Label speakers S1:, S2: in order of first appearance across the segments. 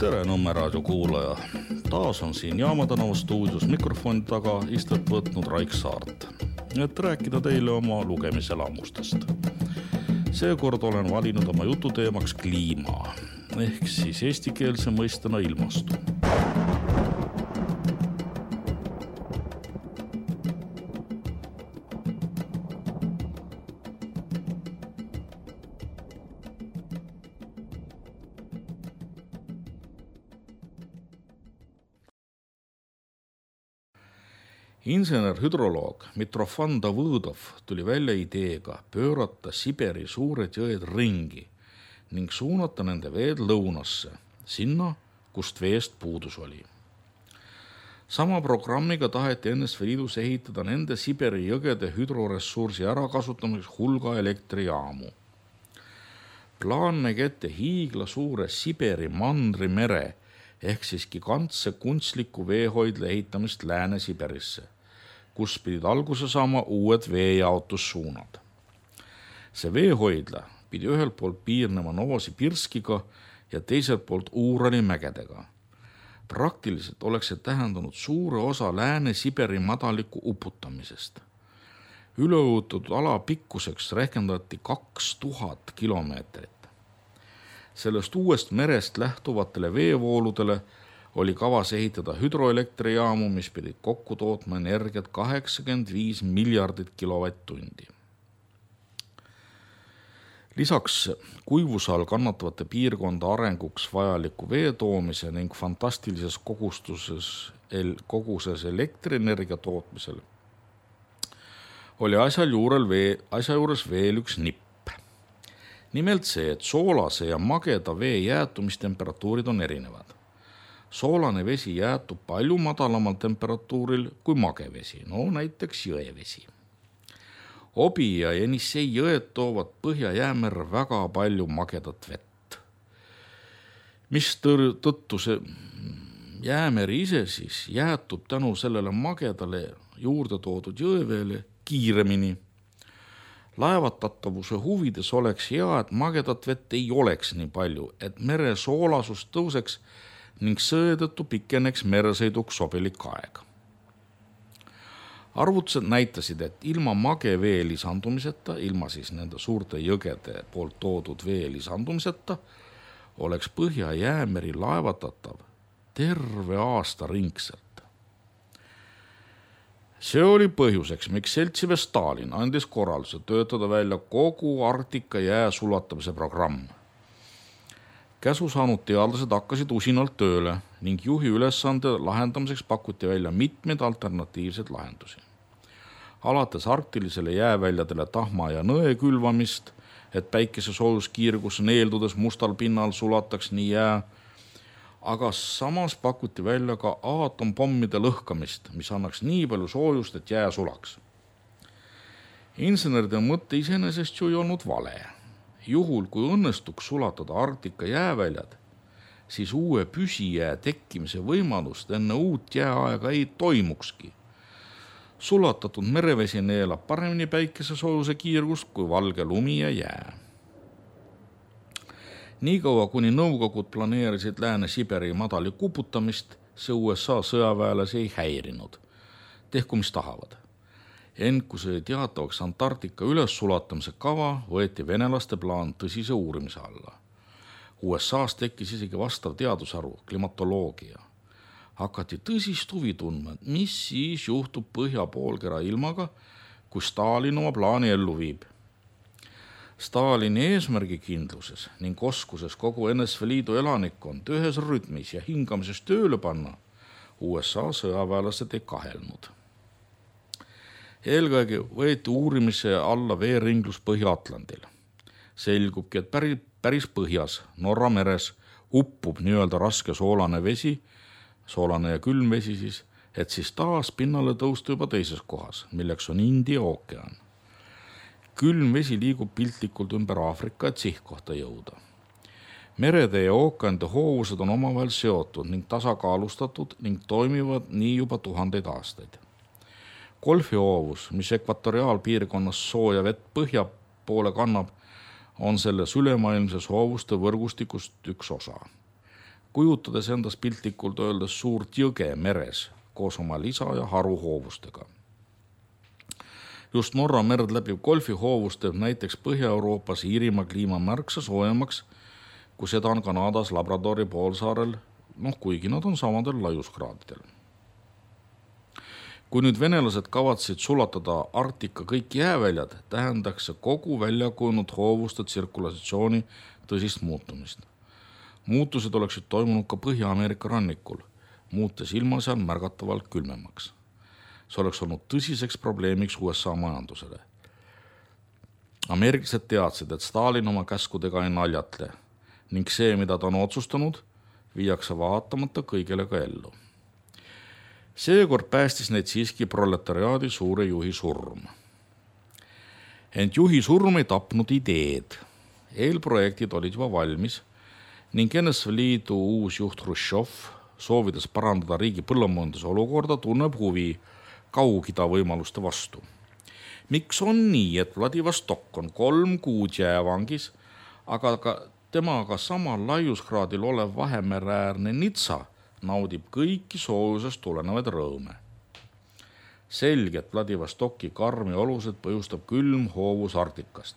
S1: Tere Nõmme raadio kuulaja. Taas on siin Jaama tänava stuudios mikrofoni taga istet võtnud Raik Saart, et rääkida teile oma lugemiselamustest. Seekord olen valinud oma jututeemaks kliima, ehk siis eestikeelse mõistena ilmastu. Insener-hüdroloog Mitrofan Davõdov tuli välja ideega pöörata Siberi suured jõed ringi ning suunata nende veed lõunasse, sinna, kust veest puudus oli. Sama programmiga taheti NSV Liidus ehitada nende Siberi jõgede hüdroressursi ärakasutamiseks hulga elektrijaamu. Plaan nägi ette hiigla suure Siberi mandrimere ehk siis gigantse kunstliku veehoidla ehitamist Lääne-Siberisse, kus pidid alguse saama uued veejaotussuunad. See veehoidla pidi ühelt poolt piirnema Novosibirskiga ja teiselt poolt Uurali mägedega. Praktiliselt oleks see tähendanud suure osa Lääne-Siberi madaliku uputamisest. Üleujutatud ala pikkuseks rehkendati 2000 kilomeetrit. Sellest uuest merest lähtuvatele veevooludele oli kavas ehitada hüdroelektrijaamu, mis pidid kokku tootma energiat 85 miljardit kilovatt-tundi. Lisaks kuivuse all kannatavate piirkonda arenguks vajaliku vee toomise ning fantastilises koguses elektrienergia tootmisel oli asja juures veel üks nipp. Nimelt see, et soolase ja mageda vee jäätumistemperatuurid on erinevad. Soolane vesi jäätub palju madalamal temperatuuril kui magevesi, näiteks jõevesi. Obi ja Jenissei jõed toovad Põhja-Jäämerre väga palju magedat vett. Mis tõttu see Jäämeri ise siis jäätub tänu sellele magedale juurde toodud jõeveele kiiremini. Laevatatavuse huvides oleks hea, et magedat vett ei oleks nii palju, et mere soolasus tõuseks ning seetõttu pikeneks meresõiduks sobilik aeg. Arvutused näitasid, et ilma magevee lisandumiseta, ilma siis nende suurte jõgede poolt toodud vee lisandumiseta, oleks Põhja-Jäämeri laevatatav terve aasta ringselt. See oli põhjuseks, miks seltsimees Stalin andis korralduse töötada välja kogu Arktika jää sulatamise programm. Käsu saanud teadlased hakkasid usinalt tööle ning juhi ülesande lahendamiseks pakuti välja mitmeid alternatiivseid lahendusi. Alates arktilisele jääväljadele tahma ja nõe külvamist, et päikese soojuskiirgus neeldudes mustal pinnal sulataks nii jää, aga samas pakuti välja ka aatompommide lõhkamist, mis annaks nii palju soojust, et jää sulaks. Inseneride mõtte iseenesest ju ei olnud vale. Juhul, kui õnnestuks sulatada Arktika jääväljad, siis uue püsijää tekkimise võimalust enne uut jääaega ei toimukski. Sulatatud merevesi neelab paremini päikese soojuse kiirgust kui valge lumi ja jää. Niikaua, kuni nõukogud planeerisid Lääne-Siberi madali kuputamist, see USA sõjaväelasi ei häirinud. Tehku mis tahavad. Ent kui see teatavaks Antarktika üles sulatamise kava, võeti venelaste plaan tõsise uurimise alla. USA's tekkis isegi vastav teadusharu, klimatoloogia. Hakati tõsist huvi tundma, mis siis juhtub põhjapoolkera ilmaga, kui Stalin oma plaani ellu viib. Stalini eesmärgikindluses ning oskuses kogu NSV Liidu elanikkond ühes rütmis ja hingamises tööle panna, USA sõjaväelased ei kahelnud. Eelkõige võeti uurimise alla veeringlus Põhja-Atlandil. Selgubki, et päris põhjas, Norra meres, uppub nii-öelda raske soolane vesi, soolane ja külm vesi siis, et siis taas pinnale tõusta juba teises kohas, milleks on India ookean. Külm vesi liigub piltlikult ümber Aafrika, et sihtkohta jõuda. Merede ja ookeanide hoovused on omavahel seotud ning tasakaalustatud ning toimivad nii juba tuhandeid aastaid. Golfi hoovus, mis ekvatoriaalpiirkonnas sooja vett põhja poole kannab, on selles ülemaailmses hoovuste võrgustikust üks osa. kujutades endas piltlikult öeldes suurt jõge meres koos oma lisa- ja haruhoovustega. Just Norra merd läbiv golfihoovus teeb näiteks Põhja-Euroopas Iirimaa kliima märksa soojemaks, kui seda on Kanadas Labradori poolsaarel, kuigi nad on samadel laiuskraadidel. Kui nüüd venelased kavatsid sulatada Arktika kõik jääväljad, tähendaks see kogu välja kujunud hoovuste tsirkulatsiooni tõsist muutumist. Muutused oleksid toimunud ka Põhja-Ameerika rannikul, muutes ilma seal märgatavalt külmemaks. See oleks olnud tõsiseks probleemiks USA majandusele. Ameeriklased teadsid, et Stalin oma käskudega ei naljatle ning see, mida ta on otsustanud, viiakse vaatamata kõigele ka ellu. Seekord päästis neid siiski proletariaadi suure juhi surm. Ent juhi surm ei tapnud ideed. Eelprojektid olid juba valmis ning NSV Liidu uus juht Hruštšov, soovides parandada riigi põllumajanduse olukorda, tunneb huvi Kaug-Ida võimaluste vastu. Miks on nii, et Vladivostok on 3 kuud jäävangis, aga ka temaga samal laiuskraadil olev Vahemereäärne Nitsa naudib kõiki soojusest tulenevaid rõõme? Selge, et Vladivostoki karmi olused põhjustab külm hoovus Arktikast.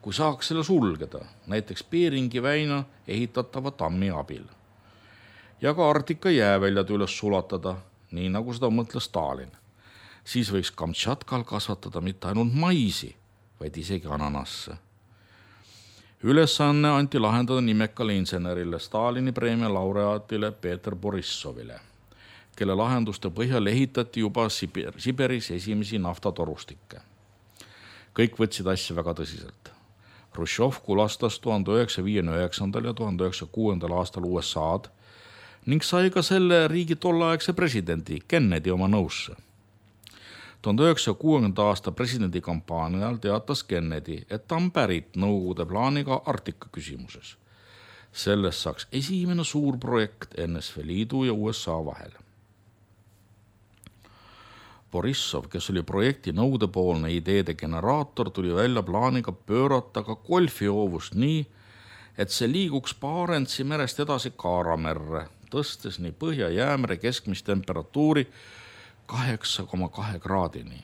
S1: Kui saaks selle sulgeda, näiteks Beringi väina ehitatava tammi abil, ja ka Arktika jääväljad üles sulatada, nii nagu seda mõtles Stalin, siis võiks Kamtšatkal kasvatada mitte ainult maisi, vaid isegi ananasse. Ülesanne anti lahendada nimekale insenerile, Stalini preemia laureaatile Peeter Borissovile, kelle lahenduste põhjal ehitati juba Siberis esimesi naftatorustikke. Kõik võtsid asja väga tõsiselt. Hruštšov kulastas 1959. ja 1906. aastal USA-d ning sai ka selle riigi tolleaegse presidendi Kennedy oma nõusse. 1960. aasta presidendikampaanial teatas Kennedy, et ta on pärit Nõukogude plaaniga Arktika küsimuses. Sellest saaks esimene suur projekt NSV Liidu ja USA vahel. Borissov, kes oli projekti nõudepoolne ideede generaator, tuli välja plaaniga pöörata ka golfihoovust nii, et see liiguks Barentsi merest edasi Kaaramerre, tõstes nii Põhja-Jäämere keskmist temperatuuri 8,2 kraadini.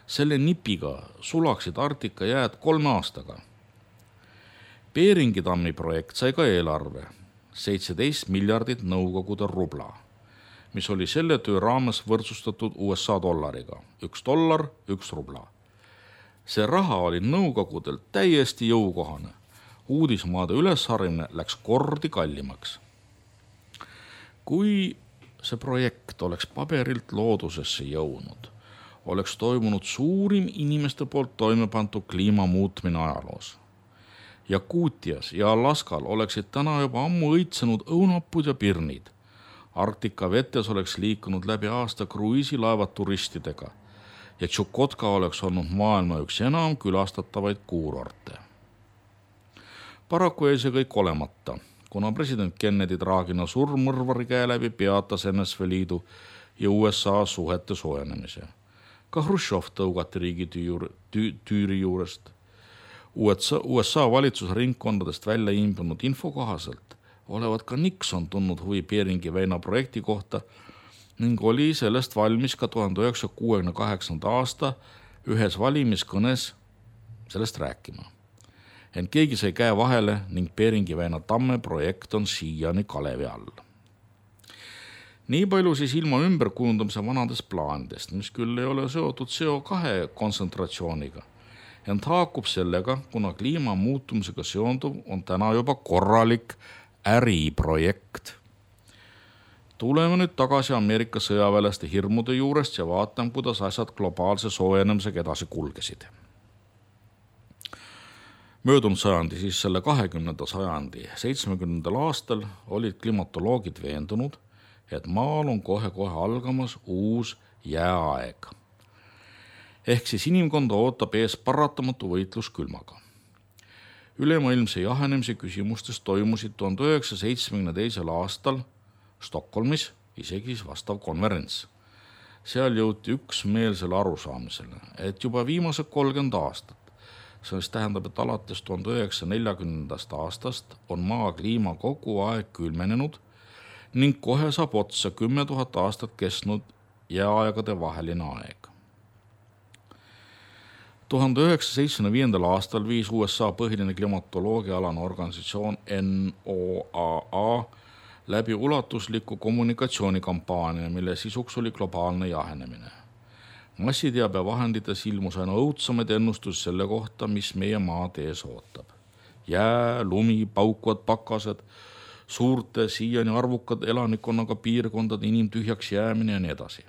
S1: Selle nipiga sulaksid Arktika jääd 3 aastaga. Beringi tammi projekt sai ka eelarve, 17 miljardit Nõukogude rubla, mis oli selle töö raames võrdsustatud USA dollariga. $1, 1 rubla. See raha oli Nõukogudel täiesti jõukohane. Uudismaade ülesharimine läks kordi kallimaks. Kui see projekt oleks paberilt loodusesse jõudnud, oleks toimunud suurim inimeste poolt toimepantud kliimamuutmine ajaloos. Jakuutias ja Alaskal oleksid täna juba ammu õitsenud õunapud ja pirnid. Arktika vetes oleks liikunud läbi aasta kruiisilaevad turistidega ja Tšukotka oleks olnud maailma üks enam külastatavaid kuurorte. Paraku jäi see kõik olemata, kuna president Kennedy traagina surm mõrvari käe läbi peatas NSV Liidu ja USA suhete soojenemise. Ka Hruštšov tõugati riigi tüüri juurest. USA valitsusringkondadest välja imbunud info kohaselt olevat ka Nixon tundnud huvi Beringi väina projekti kohta ning oli sellest valmis ka 1968. aasta ühes valimiskõnes sellest rääkima. Ent keegi sai käe vahele ning Beringi väina tamme projekt on siiani kalevi all. Nii palju siis ilma ümberkujundamise vanadest plaanidest, mis küll ei ole seotud CO2 kontsentratsiooniga, ent haakub sellega, kuna kliima muutumisega seonduv on täna juba korralik äriprojekt. Tuleme nüüd tagasi Ameerika sõjaväelaste hirmude juurest ja vaatame, kuidas asjad globaalse soojenemisega edasi kulgesid. Möödunud sajandi, siis selle 20. sajandi 70. aastal olid klimatoloogid veendunud, et maal on kohe-kohe algamas uus jääaeg. Ehk siis inimkonda ootab ees paratamatu võitlus külmaga. Ülemaailmse jahenemise küsimustes toimusid 1972. aastal Stockholmis isegi vastav konverents. Seal jõuti üksmeelsele arusaamisele, et juba viimased 30 aastat See tähendab, et alates 1940. aastast on maa kliima kogu aeg külmenenud ning kohe saab otsa 10 000 aastat kestnud jääaegade vaheline aeg. 1975. aastal viis USA põhiline klimatoloogiaalane organisatsioon NOAA läbi ulatusliku kommunikatsioonikampaania, mille sisuks oli globaalne jahenemine. Massiteabevahendites ilmus aina õudsamaid ennustusi selle kohta, mis meie maad ees ootab. Jää, lumi, paukuvad pakased, suurte, siiani arvukad elanikkonnaga piirkondade inimtühjaks jäämine ja nii edasi.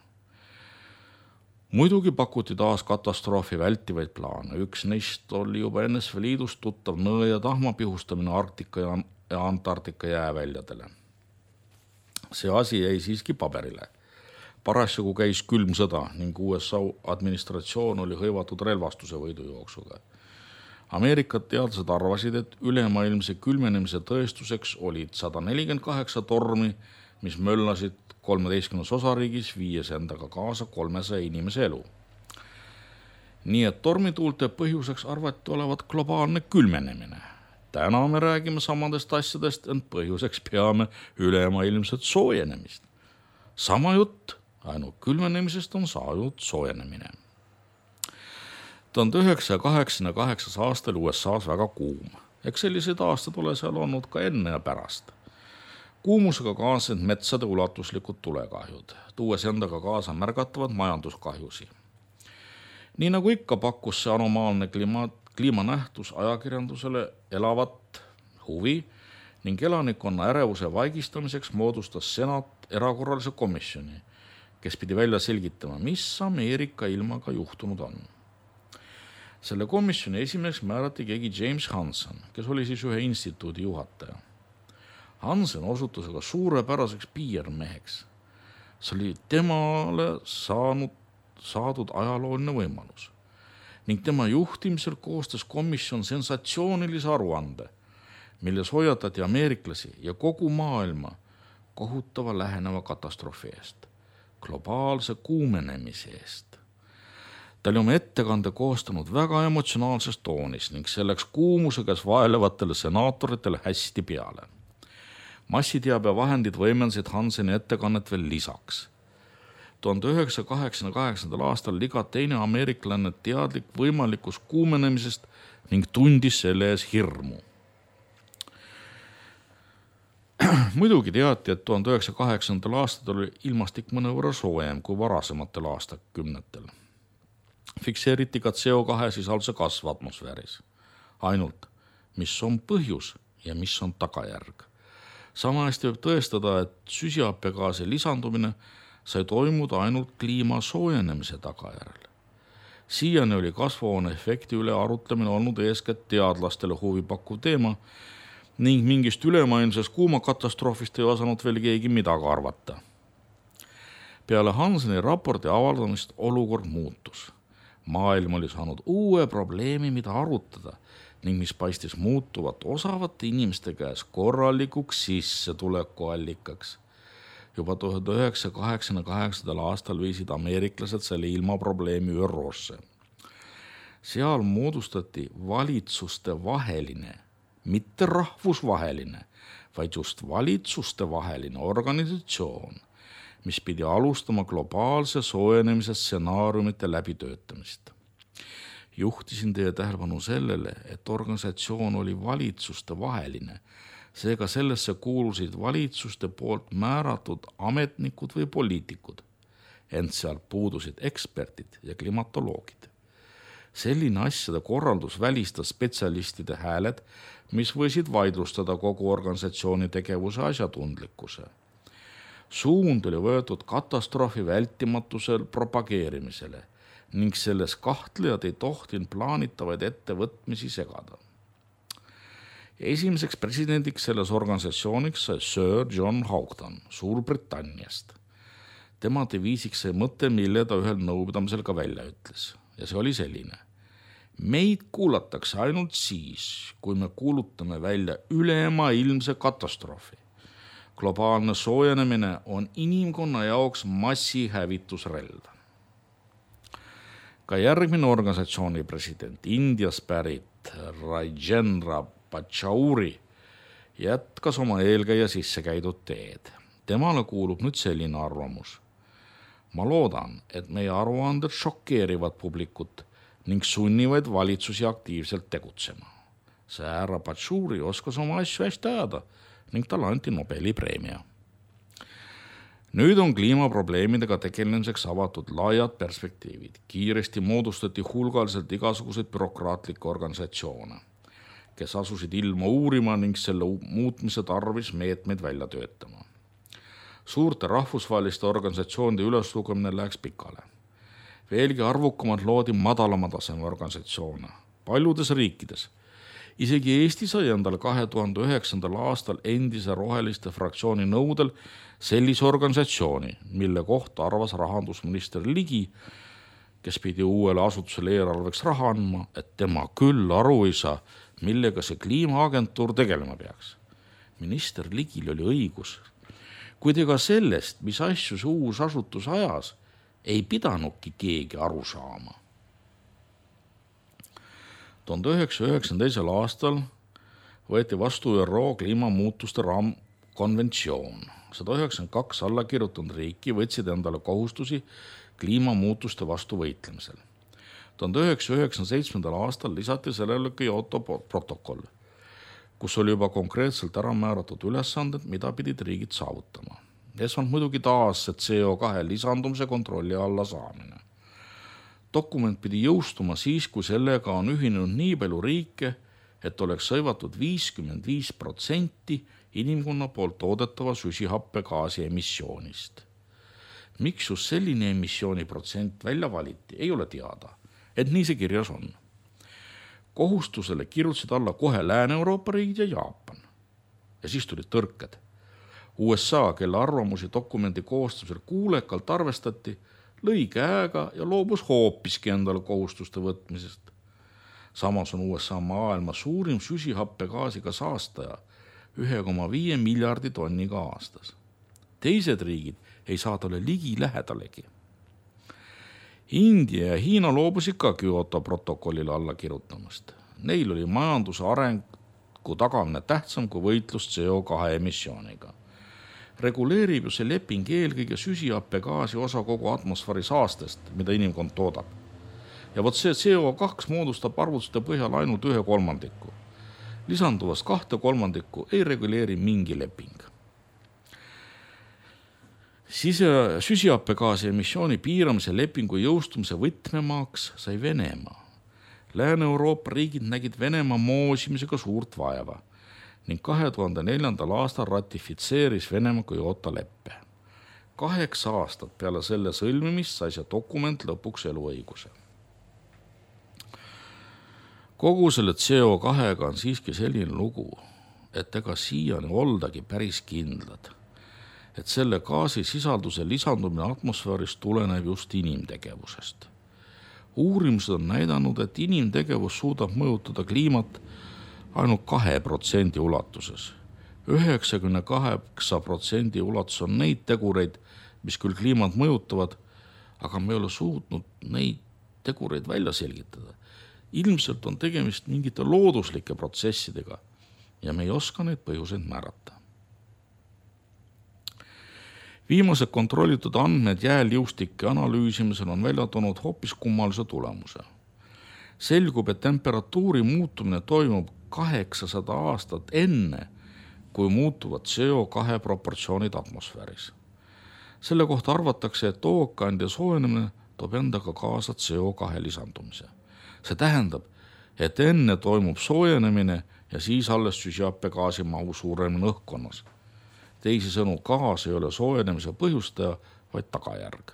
S1: Muidugi pakuti taas katastroofi vältivaid plaane. Üks neist oli juba NSV Liidust tuttav nõe ja tahma pihustamine Arktika ja Antarktika jääväljadele. See asi jäi siiski paberile. Parasjagu käis külm sõda ning USA administratsioon oli hõivatud relvastuse võidujooksuga. Ameerika teadlased arvasid, et ülemaailmse külmenemise tõestuseks olid 148 tormi, mis möllasid 13 osariigis, viies endaga kaasa 300 inimese elu. Nii et tormituulte põhjuseks arvati olevat globaalne külmenemine. Täna me räägime samadest asjadest, ent põhjuseks peame ülemaailmset soojenemist. Sama jutt, ainult külmenemisest on saanud soojenemine. 1988. aastal USA's väga kuum. Eks sellised aastad ole seal olnud ka enne ja pärast. Kuumusega kaasnenud metsade ulatuslikud tulekahjud, tuues endaga kaasa märgatavad majanduskahjusi. Nii nagu ikka pakkus see anomaalne kliimanähtus ajakirjandusele elavat huvi ning elanikkonna ärevuse vaigistamiseks moodustas senat erakorralise komisjoni, kes pidi välja selgitama, mis Ameerika ilmaga juhtunud on. Selle komisjoni esimeseks määrati keegi James Hansen, kes oli siis ühe instituudi juhataja. Hansen osutus aga suurepäraseks PR-meheks. See oli temale saadud ajalooline võimalus. Ning tema juhtimisel koostas komisjon sensatsioonilise aruande, milles hoiatati ameeriklasi ja kogu maailma kohutava läheneva katastroofi eest, globaalse kuumenemise eest. Ta oli oma ettekande koostanud väga emotsionaalses toonis ning selleks kuumusega vaelevatele senaatoritele hästi peale. Massiteabevahendid võimendasid Hanseni ettekannet veel lisaks. 1988. aastal iga teine ameeriklane teadlik võimalikust kuumenemisest ning tundis selle ees hirmu. Muidugi teati, et 1908. aastal oli ilmastik mõnevõrra soojem kui varasematel aastakümnetel. Fikseeriti ka CO2 sisalduse kasv atmosfääris. Ainult, mis on põhjus ja mis on tagajärg. Sama hästi võib tõestada, et süsihappegaasi lisandumine sai toimuda ainult kliima soojenemise tagajärjel. Siiani oli kasvuhooneefekti üle arutlemine olnud eeskätt teadlastele huvipakkuv teema ning mingist ülemaailmsest kuumakatastroofist ei osanud veel keegi midagi arvata. Peale Hanseni raporti avaldamist olukord muutus. Maailm oli saanud uue probleemi, mida arutada ning mis paistis muutuvat osavate inimeste käes korralikuks sissetulekuallikaks. Juba 1988. aastal viisid ameeriklased selle ilmaprobleemi ÜRO-sse. Seal moodustati valitsuste vaheline, mitte rahvusvaheline, vaid just valitsuste vaheline organisatsioon, mis pidi alustama globaalse soojenemise stsenaariumite läbitöötamist. Juhtisin teie tähelepanu sellele, et organisatsioon oli valitsuste vaheline, seega sellesse kuulusid valitsuste poolt määratud ametnikud või poliitikud, ent sealt puudusid eksperdid ja klimatoloogid. Selline asjade korraldus välistas spetsialistide hääled, mis võisid vaidlustada kogu organisatsiooni tegevuse asjatundlikkuse. Suund oli võetud katastroofi vältimatusel propageerimisele ning selles kahtlejad ei tohtinud plaanitavaid ettevõtmisi segada. Esimeseks presidendiks selles organisatsiooniks sai Sir John Houghton Suurbritanniast. Tema deviisiks sai mõte, mille ta ühel nõupidamisel ka välja ütles. Ja see oli selline. Meid kuulatakse ainult siis, kui me kuulutame välja ülemaailmse katastroofi. Globaalne soojenemine on inimkonna jaoks massihävitusrelv. Ka järgmine organisatsiooni president, Indias pärit Rajendra Pachauri, jätkas oma eelkäija sisse käidud teed. Temale kuulub nüüd selline arvamus. Ma loodan, et meie aruanded šokeerivad publikut ning sunnivad valitsusi aktiivselt tegutsema. See härra Pachauri oskas oma asju hästi ajada ning talle anti Nobeli preemia. Nüüd on kliimaprobleemidega tegelemiseks avatud laiad perspektiivid. Kiiresti moodustati hulgaliselt igasuguseid bürokraatlikke organisatsioone, kes asusid ilma uurima ning selle muutmise tarvis meetmeid välja töötama. Suurte rahvusvaheliste organisatsioonide üleslugemine läheks pikale. Veelgi arvukamad loodi madalama taseme organisatsioone. Paljudes riikides, isegi Eesti sai endale 2009. aastal endise roheliste fraktsiooni nõudel sellise organisatsiooni, mille kohta arvas rahandusminister Ligi, kes pidi uuele asutusele eelarveks raha andma, et tema küll aru ei saa, millega see kliimaagentuur tegelema peaks. Minister Ligil oli õigus. Kuid ega sellest, mis asju see uus asutus ajas, ei pidanudki keegi aru saama. 1992. aastal võeti vastu ÜRO kliimamuutuste raamkonventsioon. 192 alla kirjutanud riiki võtsid endale kohustusi kliimamuutuste vastu võitlemisel. 1997. aastal lisati sellele Kyoto protokoll, kus oli juba konkreetselt ära määratud ülesanded, mida pidid riigid saavutama. Esmalt muidugi taas see CO2 lisandumise kontrolli alla saamine. Dokument pidi jõustuma siis, kui sellega on ühinenud nii palju riike, et oleks sõivatud 55% inimkonna poolt toodetava süsihappegaasi emissioonist. Miks just selline emissiooniprotsent välja valiti, ei ole teada, et nii see kirjas on. Kohustusele kirjutasid alla kohe Lääne-Euroopa riigid ja Jaapan. Ja siis tulid tõrked. USA, kelle arvamusi dokumendi koostamisel kuulekalt arvestati, lõi käega ja loobus hoopiski endale kohustuste võtmisest. Samas on USA maailma suurim süsihappegaasiga saastaja 1,5 miljardi tonniga aastas. Teised riigid ei saa talle ligi lähedalegi. India ja Hiina loobusid ka Kyoto protokollile alla kirjutamast. Neil oli majanduse arengu tagamine tähtsam kui võitlus CO2 emissiooniga. Reguleerib ju see leping eelkõige süsihappegaasi osa kogu atmosfääri saastest, mida inimkond toodab. Ja vot see CO2 moodustab arvutuste põhjal ainult 1/3. Lisanduvast 2/3 ei reguleeri mingi leping. Süsihappegaasi emissiooni piiramise lepingu jõustumise võtmemaaks sai Venemaa. Lääne-Euroopa riigid nägid Venemaa moosimisega suurt vaeva ning 2004. aastal ratifitseeris Venemaa Kyoto leppe. 8 aastat peale selle sõlmimist sai see dokument lõpuks eluõiguse. Kogu selle CO2-ga on siiski selline lugu, et ega siiani oldagi päris kindlad, et selle gaasi sisalduse lisandumine atmosfääris tuleneb just inimtegevusest. Uurimused on näidanud, et inimtegevus suudab mõjutada kliimat ainult 2% ulatuses. 98% ulatuses on neid tegureid, mis küll kliimat mõjutavad, aga me ei ole suutnud neid tegureid välja selgitada. Ilmselt on tegemist mingite looduslike protsessidega ja me ei oska neid põhjuseid määrata. Viimased kontrollitud andmed jääliustike analüüsimisel on välja toonud hoopis kummalise tulemuse. Selgub, et temperatuuri muutumine toimub 800 aastat enne, kui muutuvad CO2 proportsioonid atmosfääris. Selle kohta arvatakse, et ookeanide soojenemine toob endaga kaasa CO2 lisandumise. See tähendab, et enne toimub soojenemine ja siis alles süsihappegaasi mahu suuremine õhkkonnas. Teisisõnu, gaas ei ole soojenemise põhjustaja, vaid tagajärg.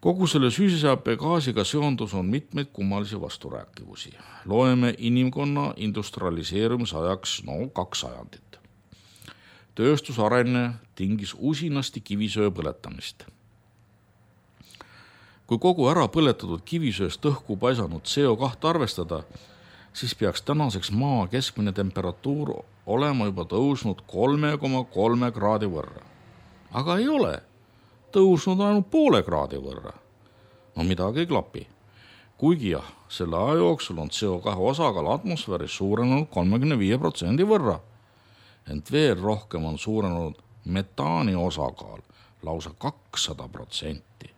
S1: Kogu selle süsihappegaasiga seondus on mitmeid kummalisi vasturääkivusi. Loeme inimkonna industrialiseerumise ajaks 2 sajandit. Tööstusarenne tingis usinasti kivisöö põletamist. Kui kogu ära põletatud kivisööst õhku paisanud CO2 arvestada, siis peaks tänaseks maa keskmine temperatuur olema juba tõusnud 3,3 kraadi võrra. Aga ei ole. Tõusnud ainult 0,5 kraadi võrra. No midagi ei klapi. Kuigi jah, selle aja jooksul on CO2 osakaal atmosfääris suurenenud 35% võrra. Ent veel rohkem on suurenenud metaani osakaal lausa 200%.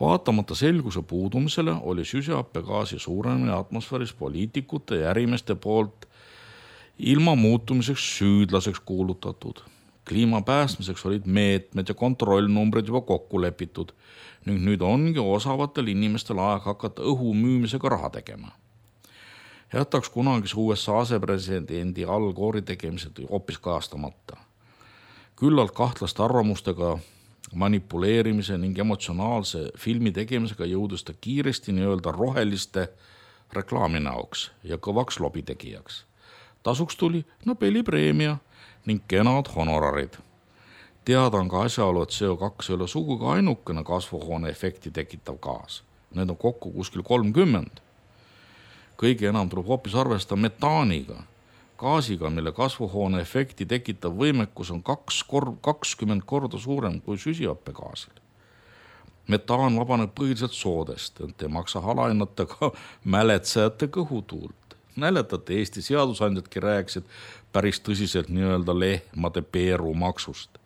S1: Vaatamata selguse puudumisele oli süsihappegaasi suurenemine atmosfääris poliitikute ja ärimeeste poolt ilma muutumiseks süüdlaseks kuulutatud. Kliima päästmiseks olid meetmed ja kontrollnumbrid juba kokku lepitud ning nüüd ongi osavatel inimestel aeg hakata õhu müümisega raha tegema. Jätaks kunagise USA asepresidendi Al Gore'i tegemised hoopis kajastamata. Küllalt kahtlaste arvamustega manipuleerimise ning emotsionaalse filmi tegemisega jõudus ta kiiresti nii-öelda roheliste reklaaminäoks ja kõvaks lobitegijaks. Tasuks tuli Nobeli preemia ning kenad honorarid. Teada on ka asjaolu, et CO2 ei ole sugugi ainukene kasvuhoone efekti tekitav gaas. Need on kokku kuskil 30. Kõige enam tuleb hoopis arvestada metaaniga, gaasiga, mille kasvuhoone efekti tekitav võimekus on 20 korda suurem kui süsihappegaasil. Metaan vabaneb põhiliselt soodest, ent ei maksa alahinnata ka mäletsejate kõhutuult. Mäletate, Eesti seadusandjadki rääkisid päris tõsiselt nii-öelda lehmade peerumaksust.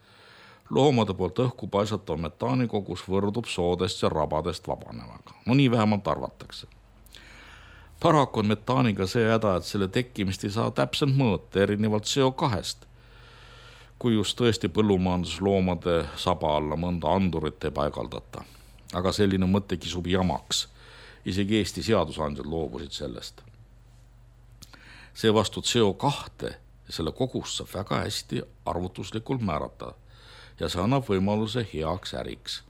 S1: Loomade poolt õhku paisatav metaanikogus võrdub soodest ja rabadest vabanevaga. No nii vähemalt arvatakse. Paraku on metaaniga see häda, et selle tekkimist ei saa täpselt mõõta erinevalt CO2-st, kui just tõesti põllumajandusloomade saba alla mõnda andurit ei paigaldata. Aga selline mõte kisub jamaks. Isegi Eesti seadusandjad loobusid sellest. Seevastu CO2 ja selle kogust saab väga hästi arvutuslikult määrata ja see annab võimaluse heaks äriks.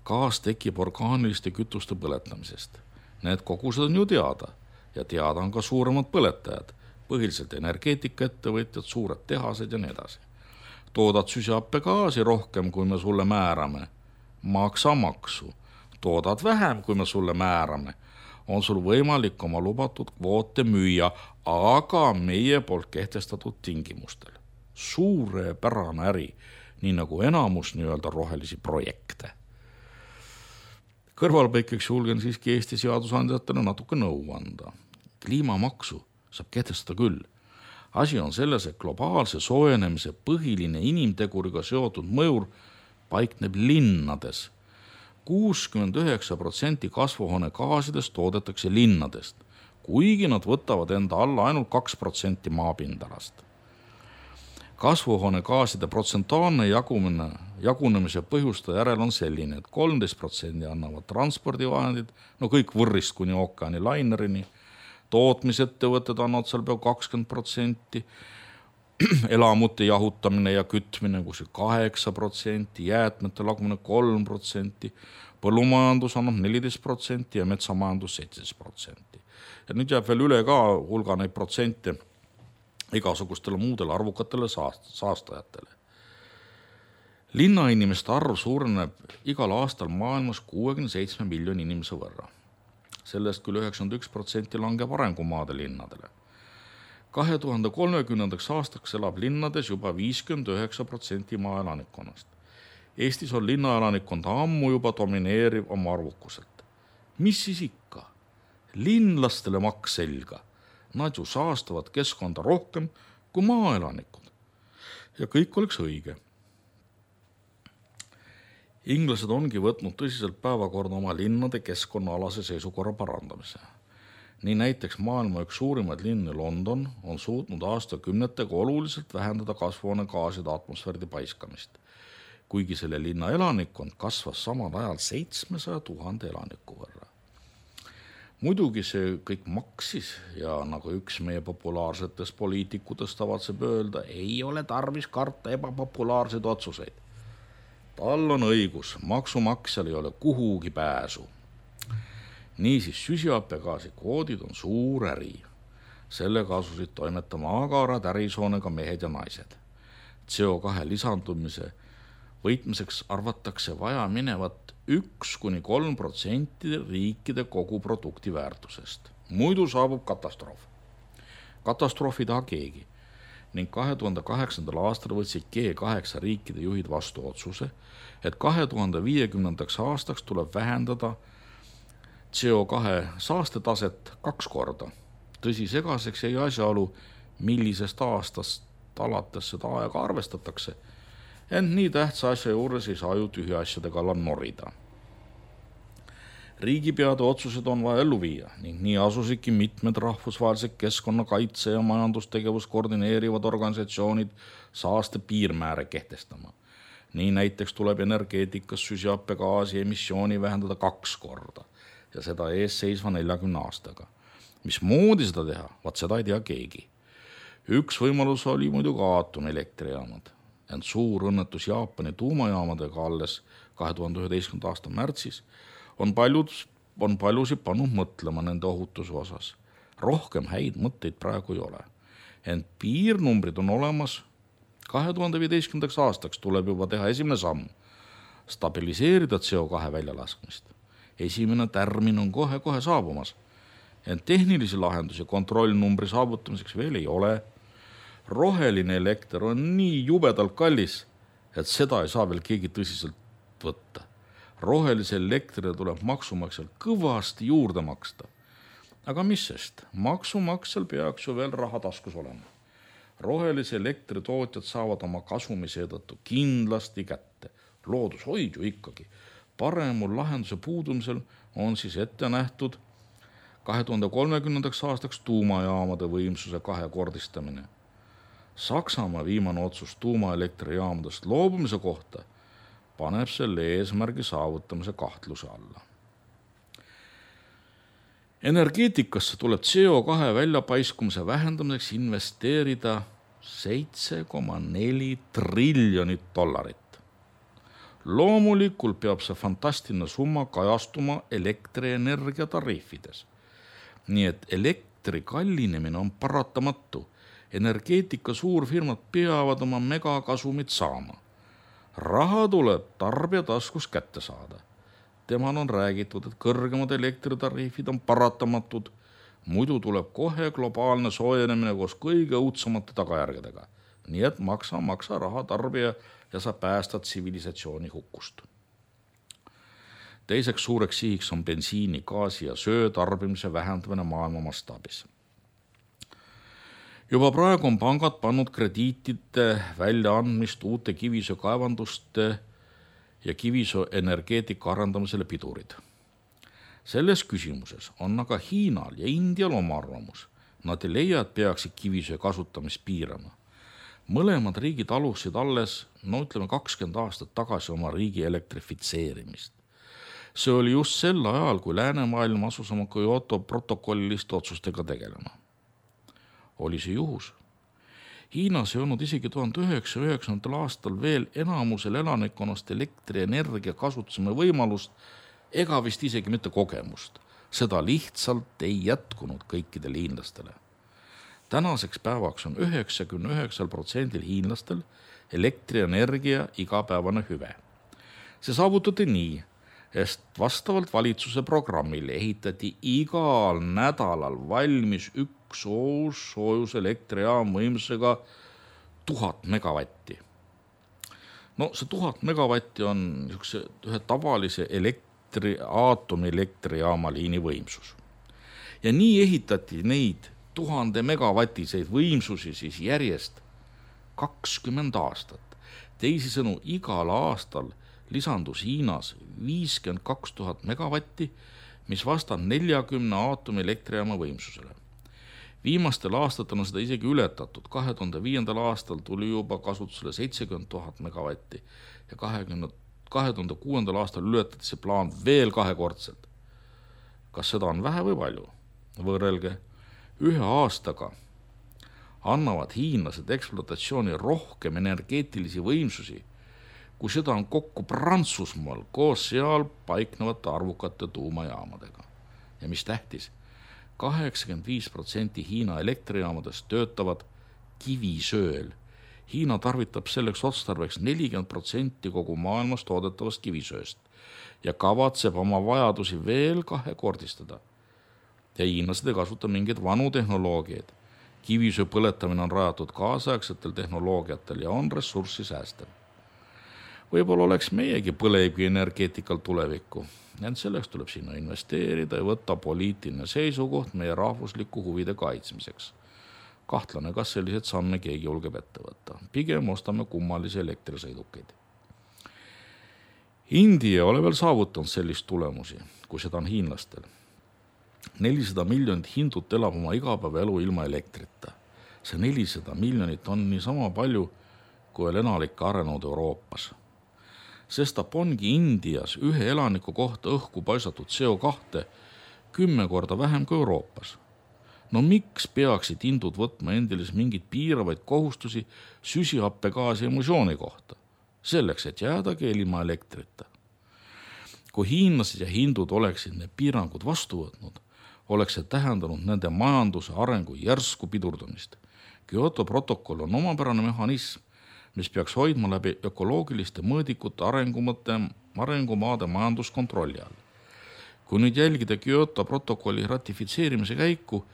S1: Gaas tekib orgaaniliste kütuste põletamisest. Need kogused on ju teada ja teada on ka suuremad põletajad, põhiliselt energeetikaettevõtjad, suured tehased ja nii edasi. Toodad süsihappegaasi rohkem, kui me sulle määrame, maksa maksu. Toodad vähem, kui me sulle määrame, on sul võimalik oma lubatud kvoote müüa, aga meie poolt kehtestatud tingimustel. Suurepärane äri, nii nagu enamus nii-öelda rohelisi projekte. Kõrvalpõikeks julgen siiski Eesti seadusandjatele natuke nõu anda. Kliimamaksu saab kehtestada küll. Asi on selles, et globaalse soojenemise põhiline inimteguriga seotud mõjur paikneb linnades. 69% kasvuhoonegaasidest toodetakse linnadest, kuigi nad võtavad enda alla ainult 2% maapindalast. Kasvuhoonegaaside protsentuaalne jagunemise põhjuste järel on selline, et 13% annavad transpordivahendid, no kõik võrrist kuni ookeani lainerini, tootmisettevõtted annavad seal peaaegu 20%, elamute jahutamine ja kütmine kus 8%, jäätmete lagumine 3%, põllumajandus annab 14% ja metsamajandus 17%. Ja nüüd jääb veel üle ka hulga neid protsente igasugustele muudele arvukatele saastajatele. Linnainimeste arv suureneb igal aastal maailmas 67 miljoni inimese võrra. Sellest küll 91% langeb arengumaade linnadele. 2030. aastaks elab linnades juba 59% maaelanikkonnast. Eestis on linnaelanikkond ammu juba domineeriv oma arvukuselt. Mis siis ikka? Linlastele maks selga. Nad ju saastavad keskkonda rohkem kui maaelanikud. Ja kõik oleks õige. Inglased ongi võtnud tõsiselt päevakorda oma linnade keskkonnaalase seisukorra parandamise. Nii näiteks maailma üks suurimaid linni London on suutnud aastakümnetega oluliselt vähendada kasvuhoonegaaside atmosfääri paiskamist, kuigi selle linna elanikkond kasvas samal ajal 700 000 elaniku võrra. Muidugi see kõik maksis ja nagu üks meie populaarsetest poliitikutest tavatseb öelda, ei ole tarvis karta ebapopulaarseid otsuseid. Tal on õigus, maksumaksjal ei ole kuhugi pääsu. Niisiis süsihappegaasi kvoodid on suur äri. Sellega asusid toimetama agarad ärisoonega mehed ja naised. CO2 lisandumise võitmiseks arvatakse vaja minevat 1–3% riikide kogu produkti väärtusest. Muidu saabub katastroof. Katastroof ei taha keegi. ning 2008. aastal võtsid G8 riikide juhid vastu otsuse, et 2050. aastaks tuleb vähendada CO2 saastetaset 2 korda. Tõsi, segaseks jäi asjaolu, millisest aastast alates seda aega arvestatakse, ent nii tähtsa asja juures ei saa ju tühja asjade kallal norida. Riigipeade otsused on vaja ellu viia ning nii asusidki mitmed rahvusvahelised keskkonnakaitse ja majandustegevust koordineerivad organisatsioonid saaste piirmääre kehtestama. Nii näiteks tuleb energeetikas süsihappegaasi emissiooni vähendada 2 korda ja seda eesseisva 40 aastaga. Mismoodi seda teha? Vaat seda ei tea keegi. Üks võimalus oli muidugi aatomilektrijaamad, ent suur õnnetus Jaapani tuumajaamadega alles 2011. aasta märtsis on paljusid pannud mõtlema nende ohutuse osas. Rohkem häid mõtteid praegu ei ole, ent piirnumbrid on olemas. 2015. aastaks tuleb juba teha esimene samm, stabiliseerida CO2 väljalaskmist. Esimene tärmin on kohe saabumas, ent tehnilisi lahendusi kontrollnumbri saavutamiseks veel ei ole. Roheline elekter on nii jubedalt kallis, et seda ei saa veel keegi tõsiselt võtta. Rohelise elektrile tuleb maksumaksjal kõvasti juurde maksta. Aga mis sest, maksumaksjal peaks ju veel raha taskus olema. Rohelise elektri tootjad saavad oma kasumi seetõttu kindlasti kätte. Loodushoid ju ikkagi. Paremul lahenduse puudumisel on siis ette nähtud 2030. aastaks tuumajaamade võimsuse 2-kordistamine. Saksamaa viimane otsus tuumaelektrijaamadest loobumise kohta paneb selle eesmärgi saavutamise kahtluse alla. Energeetikasse tuleb CO2 väljapaiskumise vähendamiseks investeerida $7,4 triljonit. Loomulikult peab see fantastiline summa kajastuma elektrienergia tariifides. Nii et elektri kallinemine on paratamatu. Energeetika suurfirmad peavad oma megakasumit saama. Raha tuleb tarbija taskus kätte saada. Temal on räägitud, et kõrgemad elektritariifid on paratamatud, muidu tuleb kohe globaalne soojenemine koos kõige õudsemate tagajärgedega. Nii et maksa raha tarbija ja sa päästad tsivilisatsiooni hukust. Teiseks suureks sihiks on bensiini, gaasi ja söö tarbimise vähendamine maailma mastaabis. Juba praegu on pangad pannud krediitide väljaandmist uute kivisöökaevanduste ja kivisööenergeetika arendamisele pidurid. Selles küsimuses on aga Hiinal ja Indial oma arvamus. Nad ei leia, et peaksid kivisöö kasutamist piirama. Mõlemad riigid alustasid alles, 20 aastat tagasi oma riigi elektrifitseerimist. See oli just sel ajal, kui läänemaailm asus oma Kyoto protokolliliste otsustega tegelema. Oli see juhus? Hiinas ei olnud isegi 1909. aastal veel enamusel elanikkonnast elektrienergia kasutusime võimalust ega vist isegi mitte kogemust. Seda lihtsalt ei jätkunud kõikidele hiinlastele. Tänaseks päevaks on 99% hiinlastel elektrienergia igapäevane hüve. See saavutati nii, et vastavalt valitsuse programmile ehitati igal nädalal valmis üks soojus elektrijaam võimsusega 1000 megavatti. See 1000 megavatti on ühe tavalise aatomilektrijaama liini võimsus. Ja nii ehitati neid 1000 megavatiseid võimsusi siis järjest 20 aastat. Teisisõnu, igal aastal lisandus Hiinas 52 000 megavatti, mis vastab 40 aatomilektrijaama võimsusele. Viimastel aastatel on seda isegi ületatud. 2005. aastal tuli juba kasutusele 70 000 megavatti ja 2006. aastal ületati see plaan veel 2-kordselt. Kas seda on vähe või palju? Võrrelge, ühe aastaga annavad hiinlased ekspluatatsiooni rohkem energeetilisi võimsusi, kui seda on kokku Prantsusmaal koos seal paiknevate arvukate tuumajaamadega. Ja mis tähtis, 85% Hiina elektrijaamadest töötavad kivisööl. Hiina tarvitab selleks otstarbeks 40% kogu maailmas toodetavast kivisööst ja kavatseb oma vajadusi veel 2-kordistada. Ja hiinlased ei kasuta mingeid vanu tehnoloogiaid. Kivisöe põletamine on rajatud kaasaegsetel tehnoloogiatel ja on ressurssi säästev. Võib-olla oleks meiegi põlevkivienergeetikal tulevikku, ent selleks tuleb sinna investeerida ja võtta poliitiline seisukoht meie rahvusliku huvide kaitsmiseks. Kahtlane, kas sellised samme keegi julgeb ette võtta. Pigem ostame kummalisi elektrisõidukeid. India ole veel saavutanud sellist tulemusi, kui seda on hiinlastel. 400 miljonit hindut elab oma igapäevaelu ilma elektrita. See 400 miljonit on niisama palju, kui enalik arenenud Euroopas. Sestap ongi Indias ühe elaniku kohta õhku paisatud CO2 10 korda vähem kui Euroopas. No miks peaksid hindud võtma endilis mingid piiravaid kohustusi süsihappegaasi emissiooni kohta, selleks, et jäädagi ilma elektrita? Kui hiinlased ja hindud oleksid need piirangud vastu võtnud, oleks see tähendanud nende majanduse arengu järsku pidurdumist. Kyoto protokoll on omapärane mehhanism, mis peaks hoidma läbi ökoloogiliste mõõdikute arengumaade majanduskontrolli all. Kui nüüd jälgida Kyoto protokolli ratifitseerimise käiku,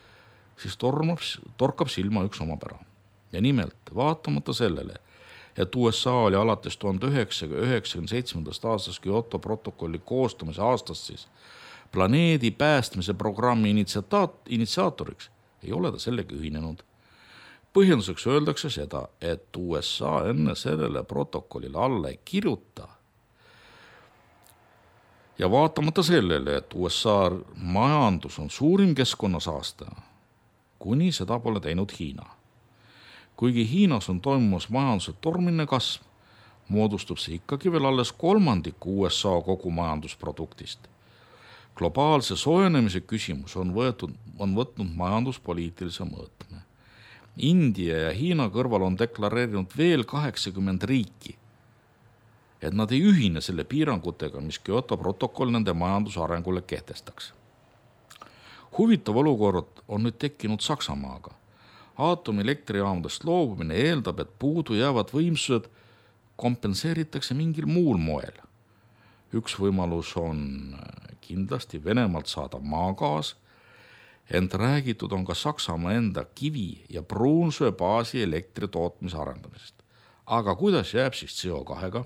S1: siis torkab silma üks omapära. Ja nimelt, vaatamata sellele, et USA oli alates 1997. aastast Kyoto protokolli koostamise aastast siis planeedi päästmise programmi initsiaatoriks, ei ole ta sellega ühinenud. Põhjenduseks öeldakse seda, et USA enne sellele protokollile alla ei kirjuta. Ja vaatamata sellele, et USA majandus on suurim keskkonnasaastaja, kuni seda pole teinud Hiina. Kuigi Hiinas on toimumas majanduse tormiline kasv, moodustub see ikkagi veel alles kolmandiku USA kogu majandusproduktist. Globaalse soojenemise küsimus on võtnud majanduspoliitilise mõõtme. India ja Hiina kõrval on deklareerinud veel 80 riiki, et nad ei ühine selle piirangutega, mis Kyoto protokoll nende majandusarengule kehtestaks. Huvitav olukord on nüüd tekkinud Saksamaaga. Aatomilektrijaamudest loobumine eeldab, et puudu jäävad võimsused kompenseeritakse mingil muul moel. Üks võimalus on kindlasti Venemaalt saada maagaas, ent räägitud on ka Saksamaa enda kivi- ja pruunsöe baasi elektri tootmise arendamisest. Aga kuidas jääb siis CO2-ga?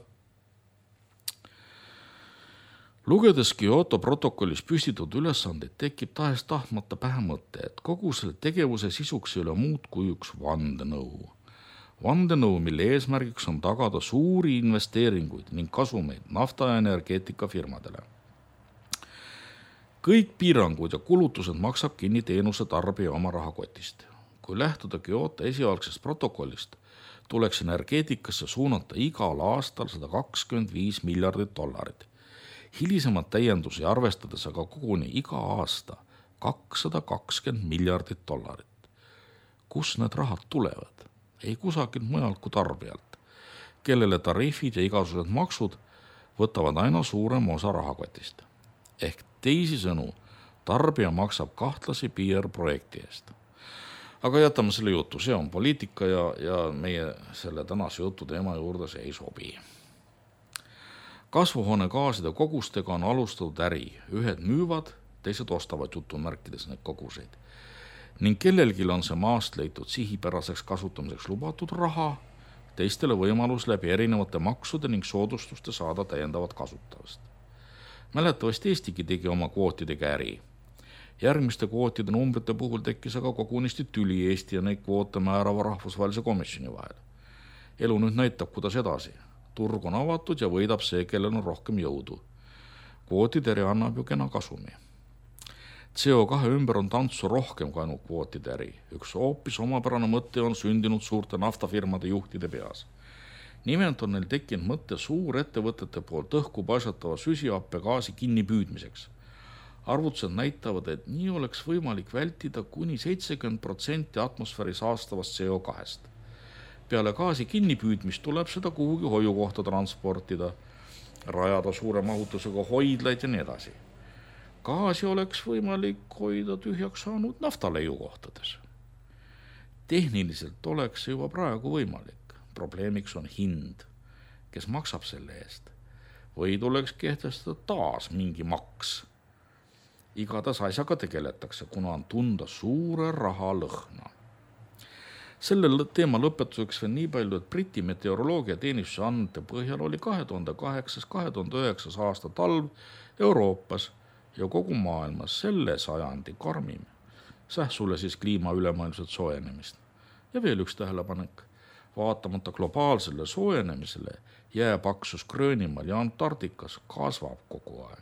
S1: Lugedes Kyoto protokollis püstitud ülesandeid tekib tahes tahtmata pähe mõte, et kogu selle tegevuse sisuks ei ole muud kui üks vandenõu. Vandenõu, mille eesmärgiks on tagada suuri investeeringuid ning kasumeid nafta- ja energeetikafirmadele. Kõik piirangud ja kulutused maksab kinni teenuse tarbija oma rahakotist. Kui lähtuda Kyoto esialgsest protokollist, tuleks energeetikasse suunata igal aastal $125 miljardit. Hilisemad täiendusi arvestades aga koguni iga aasta $220 miljardit. Kus need rahad tulevad? Ei kusagilt mujalt kui tarbijalt, kellele tariifid ja igasugused maksud võtavad aina suurem osa rahakotist. Ehk teisisõnu, tarbija maksab kahtlasi PR-projekti eest. Aga jätame selle jutu, see on poliitika ja meie selle tänase jutu teema juurde see ei sobi. Kasvuhoonegaaside kogustega on alustatud äri. Ühed müüvad, teised ostavad jutumärkides neid koguseid. Ning kellelgi on see maast leitud sihipäraseks kasutamiseks lubatud raha, teistele võimalus läbi erinevate maksude ning soodustuste saada täiendavat kasutavast. Mäletavasti Eestigi tegi oma kvootidega äri. Järgmiste kvootide numbrite puhul tekkis aga kogunisti tüli Eesti ja neid kvoote määrava rahvusvahelise komisjoni vahel. Elu nüüd näitab, kuidas edasi. Turg on avatud ja võidab see, kellel on rohkem jõudu. Kvootideri annab ju kena kasumi. CO2 ümber on tantsu rohkem kui ainult kvootideri. Üks hoopis omapärane mõte on sündinud suurte naftafirmade juhtide peas. Nimelt on neil tekkinud mõte suurettevõtete poolt õhku paisatava süsihappegaasi kinnipüüdmiseks. Arvutused näitavad, et nii oleks võimalik vältida kuni 70% atmosfääri saastavast CO2-st. Peale gaasi kinnipüüdmist tuleb seda kuhugi hoiukohta transportida, rajada suure mahutusega hoidlaid ja nii edasi. Gaasi oleks võimalik hoida tühjaks saanud naftaleiukohtades. Tehniliselt oleks see juba praegu võimalik. Probleemiks on hind, kes maksab selle eest. Või tuleks kehtestada taas mingi maks. Igatahes asjaga tegeletakse, kuna on tunda suure raha lõhna. Selle teema lõpetuseks veel nii palju, et Briti meteoroloogiateenistuse andmete põhjal oli 2008-2009 aasta talv Euroopas ja kogu maailmas selle sajandi karmim. Sähsule siis kliima ülemaailmset soojenemist. Ja veel üks tähelepanek. Vaatamata globaalsele soojenemisele jääpaksus Gröönimaal ja Antarktikas kasvab kogu aeg.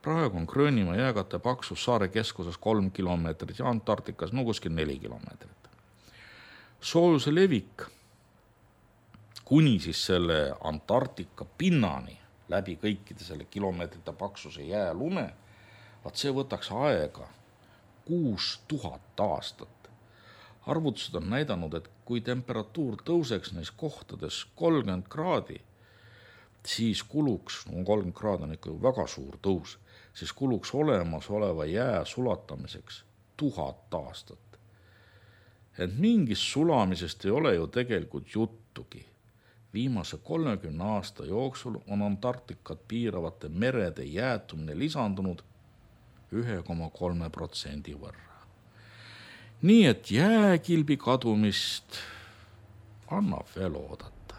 S1: Praegu on Gröönimaa jääkate paksus saare keskuses 3 kilomeetrit ja Antarktikas kuskil 4 kilomeetrit. Soojuse levik kuni siis selle Antarktika pinnani läbi kõikide selle kilomeetrite paksuse jäälume, see võtaks aega 6000 aastat. Arvutused on näidanud, et kui temperatuur tõuseks neis kohtades 30 kraadi, siis kuluks, 30 kraad on ikka väga suur tõus, siis kuluks olemasoleva jää sulatamiseks 1000 aastat. Et mingist sulamisest ei ole ju tegelikult juttugi. Viimase 30 aasta jooksul on Antarktikat piiravate merede jäätumine lisandunud 1,3% võrra. Nii et jääkilbi kadumist annab veel oodata.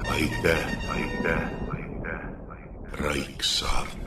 S2: Aitäh. Raiksaart.